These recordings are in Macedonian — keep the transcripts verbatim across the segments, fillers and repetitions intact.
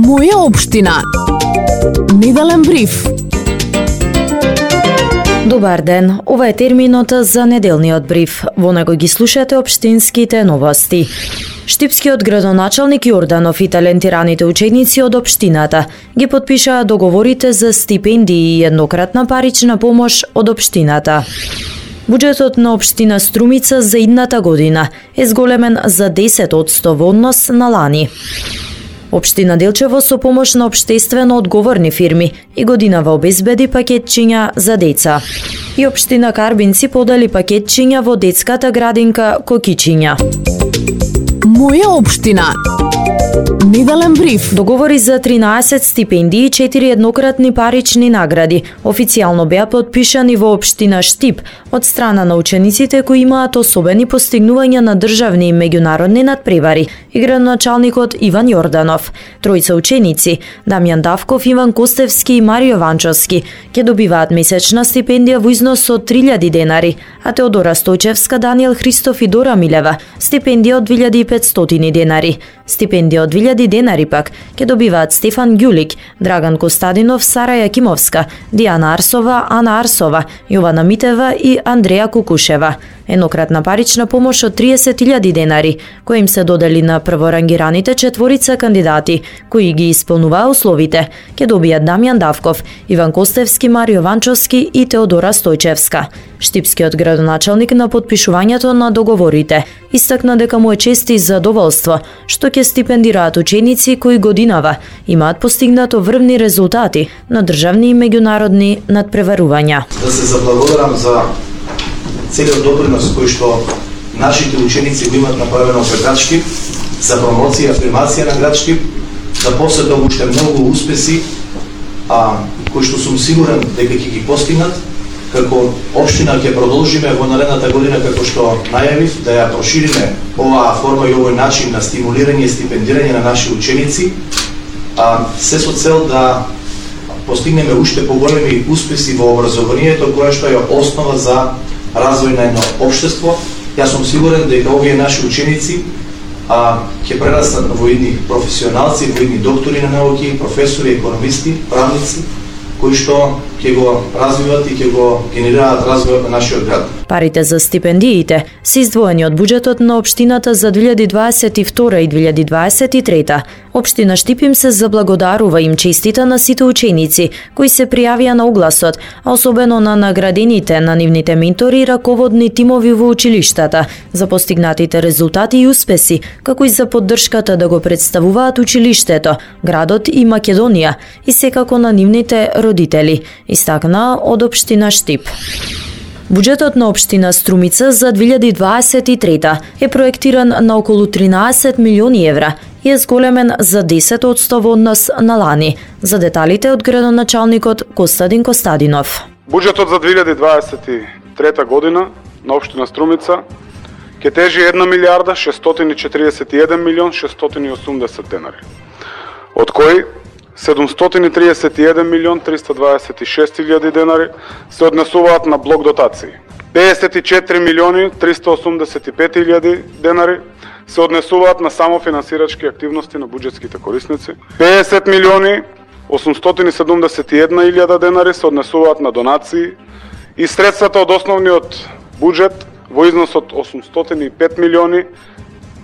Моја општина. Неделен бриф. Добар ден, ова е терминот за неделниот бриф. Во него ги слушате општинските новости. Штипскиот градоначалник Јорданов и талентираните ученици од општината ги потпишаа договорите за стипендии и еднократна парична помош од општината. Буџетот на општина Струмица за идната година е зголемен за десет одсто во однос на лани. Општина Делчево со помош на општествено одговорни фирми и годинава обезбеди пакетчиња за деца. И општина Карбинци подали пакетчиња во детската градинка Кокичиња. Моја општина. Неделен бриф. Договори за тринаесет стипендии и четири еднократни парични награди официјално беа потпишани во општина Штип од страна на учениците кои имаат особени постигнувања на државни и меѓународни надпревари и градоначалникот Иван Јорданов. Тројца ученици, Дамјан Давков, Иван Костевски и Марио Ванчовски, ќе добиваат месечна стипендија во износ од три илјади денари, а Теодора Стојчевска, Даниел Христов и Дора Милева стипендија од две илјади и петстотини денари. Стипендија од две илјади денари пак ќе добиваат Стефан Ѓулик, Драган Костадинов, Сара Јакимовска, Дијана Арсова, Ана Арсова, Јована Митева и Андреја Кукушева. Еднократна парична помош од триесет илјади денари, кои им се додели на прворангираните четворица кандидати, кои ги исполнуваа условите, ќе добијат Дамјан Давков, Иван Костевски, Марио Ванчовски и Теодора Стојчевска. Штипскиот градоначалник на потпишувањето на договорите истакна дека му е чест и задоволство што ќе стипендираат ученици кои годинава имаат постигнато врвни резултати на државни и меѓународни надпреварувања. Да се заблагодарам за целиот допринос кој што нашите ученици го имаат направено пред град Штип, за промоција и афирмација на град Штип, да посетат уште многу успеси, а кои што сум сигурен дека ќе ги постигнат. Како општина ќе продолжиме во наредната година, како што најавив, да ја прошириме оваа форма и овој начин на стимулирање и стипендирање на наши ученици, а се со цел да постигнеме уште поголеми успеси во образованието, кое што е основа за развој на едно општество. Јас сум сигурен дека овие наши ученици а, ќе прерастат во едни професионалци, во едни доктори на науки, професори, економисти, правници, кои што ќе го развиват и ќе го генерираат развојот на нашиот град. Парите за стипендиите се издвоени од буџетот на општината за две илјади дваесет и втора и две илјади дваесет и трета. Општина Штип им се заблагодарува им честита на сите ученици кои се пријавија на огласот, а особено на наградените на нивните ментори и раководни тимови во училиштата за постигнатите резултати и успеси, како и за поддршката да го представуваат училиштето, градот и Македонија и секако на нивните родители, истакна од општина Штип. Буџетот на општина Струмица за две илјади дваесет и трета е проектиран на околу тринаесет милиони евра и е зголемен за десет одсто во однос на лани. За деталите од градоначалникот Костадин Костадинов. Буџетот за две илјади дваесет и трета година на општина Струмица ќе тежи една милијарда шестстотини четиридесет и еден милион шестстотини и осумдесет денари, од кои седумстотини триесет и еден милион триста дваесет и шест илјади денари се однесуваат на блок дотации. педесет и четири милиони триста осумдесет и пет илјади денари се однесуваат на самофинансирачки активности на буџетските корисници. педесет милиони осумстотини седумдесет и една илјада денари се однесуваат на донации и средствата од основниот буџет во износ од осумстотини и пет милиони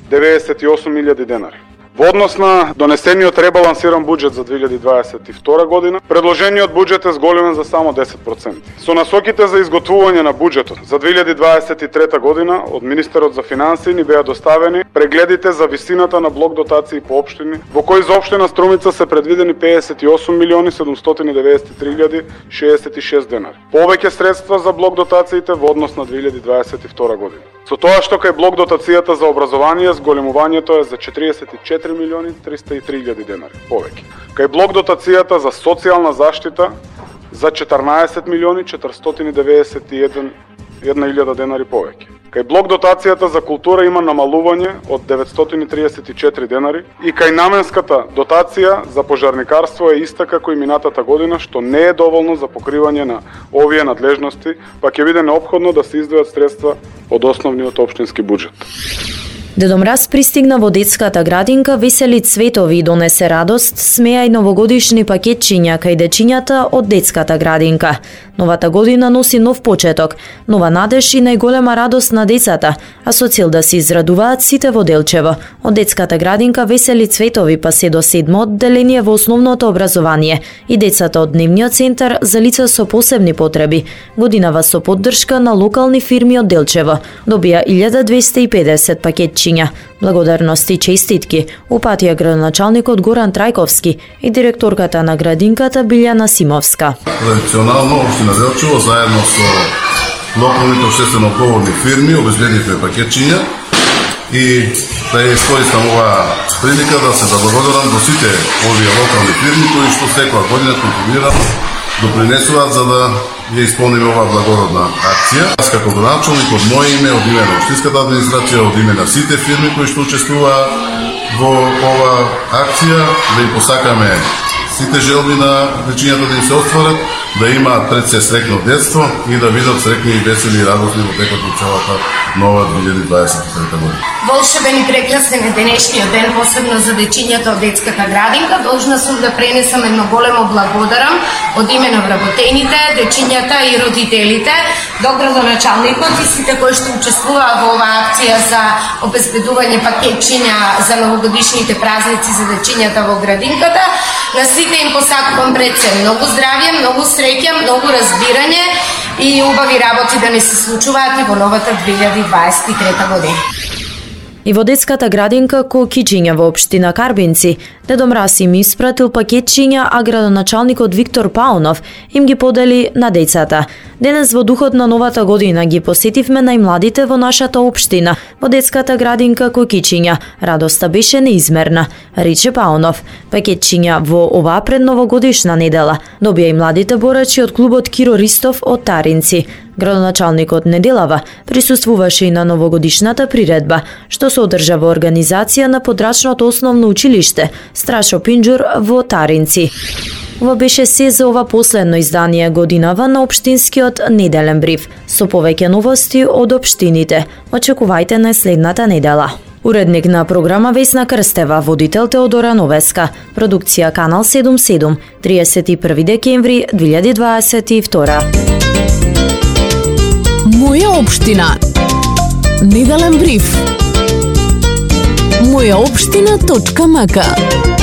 деветдесет и осум илјади денари. Во однос на донесениот ребалансиран буџет за две илјади дваесет и втора година, предложениот буџет е зголемен за само десет проценти. Со насоките за изготвување на буџетот за две илјади дваесет и трета година од Министерот за финансии ни беа доставени прегледите за висината на блок дотации по општини, во кои за општина Струмица се предвидени педесет и осум милиони седумстотини деветдесет и три илјади шеесет и шест денари. Повеќе средства за блок дотациите во однос на две илјади дваесет и втора година. Со тоа што кај блок дотацијата за образование зголемувањето е за четиридесет и четири милиони триста и три илјади денари повеќе. Кај блок дотацијата за социјална заштита за четрнаесет милиони четиристотини деветдесет и една илјада денари повеќе. Кај блок дотацијата за култура има намалување од деветстотини триесет и четири денари и кај наменската дотација за пожарникарство е иста како и минатата година, што не е доволно за покривање на овие надлежности, па ќе биде неопходно да се издвојат средства од основниот општински буџет. Дедо Мраз пристигна во детската градинка, весели цветови и донесе радост, смеа и новогодишни пакетчиња кај дечињата од детската градинка. Новата година носи нов почеток, нова надеж и најголема радост на децата, а со цел да се израдуваат сите во Делчево. Од детската градинка весели цветови па се до седмо одделение во основното образование и децата од дневниот центар за лица со посебни потреби. Годинава со поддршка на локални фирми од Делчево добија илјада двесте и педесет пакетчиња. Благодарности и честитки упатија градоначалникот Горан Трајковски и директорката на градинката Билјана Симовска. Традиционално општина Делчево заедно со локалните општествено одговорни фирми обезбедивме пакетчиња и да ја искористам оваа прилика да се заблагодарам до сите овие локални фирми кои што секоја година контрибуираат, допринесуваат за да ја исполниме оваа благородна акција. Аз како градоначалник од моје име, од име на општинската администрација, од име на сите фирми кои што учествуваат во оваа акција, да им посакаме сите желби на дечињата да им се остварат, да имаат пред се среќно детство и да видат среќни и весели и радосни во текот на целата нова две илјади дваесет и трета година. Волшебен и прекрасен е денешниот ден, посебно за дечињата од детската градинка. Должна сум да пренесам едно големо благодарам од име на вработените, дечињата и родителите, до градоначалникот и сите кои што учествуваа во оваа акција за обезбедување пакетчиња за новогодишните празници за дечињата во градинката. На сите им посакувам пред се многу здравје, многу среќа, многу разбирање и убави работи да не се случуваат и во новата две илјади дваесет и трета година. И во детската градинка Кокичиња во општина Карбинци, Дедо Мраз им испратил пакетчиња, а градоначалникот Виктор Паунов им ги подели на децата. Денес во духот на новата година ги посетивме најмладите во нашата општина, во детската градинка Кокичиња. Радоста беше неизмерна, рече Паунов. Пакетчиња во оваа предновогодишна недела добија и младите борачи од клубот Киро Ристов од Таринци. Градоначалникот Неделава присуствуваше и на новогодишната приредба, што се одржа во организација на подрачното основно училиште Страшо Пинџур во Таринци. Ова беше се за ова последно издание годинава на општинскиот неделен бриф. Со повеќе новости од општините, очекувајте на следната недела. Уредник на програма Весна Крстева, водител Теодора Новеска, продукција Канал седумдесет и седум, триесет и први декември две илјади дваесет и втора. Моја општина. Неделен бриф. моја општина точка м к